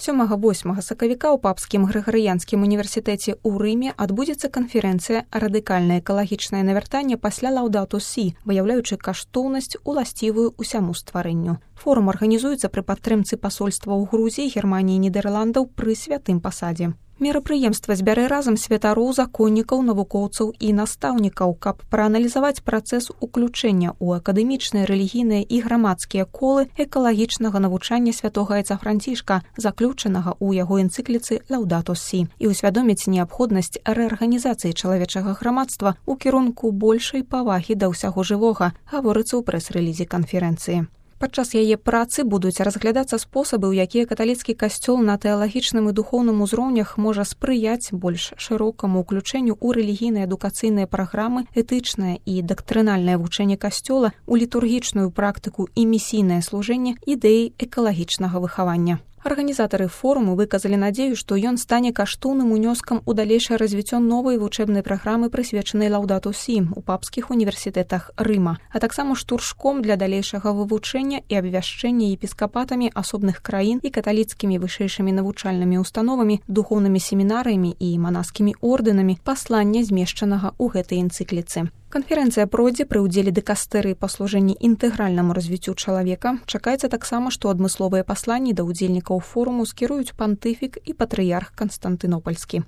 7-8 сакавіка ў папскім грыгарыянскім універсітэце ў Рыме адбудзецца канферэнцыя «Радыкальнае экалагічнае навяртанне пасля Лаўдату Сі», выяўляючы каштоўнасць, уласцівую ўсяму стварэнню. Форум арганізуецца пры падтрымцы пасольства ў Грузіі, Германіі і Нідерландаў пры святым пасадзе. Мерапрыемства збярэ разам святароў, законнікаў, навукоўцаў і настаўнікаў, каб прааналізаваць працэс уключэння ў акадэмічныя, рэлігійныя і грамадскія колы экалагічнага навучання святога Яйца Францішка, заключанага ў яго энцыкліцы «Лаўдату Сі», і ўсвядоміць неабходнасць рэарганізацыі чалавечага грамадства ў кірунку большай павагі да ўсяго жывога, гаворыцца ў прэс-рэлізе канферэнцыі. Падчас яе працы будуць разглядацца спосабы, у якія каталіцкі касцёл на тэалагічным і духоўным узроўнях можа спрыяць больш шырокаму ўключэнню ў рэлігійныя адукацыйныя праграмы, этычнае і дактрынальнае вучэнне касцёла, у літургічную практыку і місійнае служэнне ідэі экалагічнага выхавання. Арганізатары форуму выказалі надзею, што ён стане каштоўным унёскам у далейшае развіццё новай вучэбнай праграмы, прысвечанай Лаўдату Сі у папскіх універсітэтах Рыма, а таксама штуршком для далейшага вывучэння і абвяшчэння епіскапатамі асобных краін і каталіцкімі вышэйшымі навучальнымі установамі, духоўнымі семінарыямі і манаскімі ордэнамі паслання, змешчанага ў гэтай энцыкліцы. Канферэнцыя пройдзе пры ўдзеле дыкастэрыі па служэнні інтэгральнаму развіццю чалавека. Чакаецца таксама, што адмысловыя пасланні да ўдзельнікаў форуму скіруюць пантыфік і патрыярх Канстантынопальскі.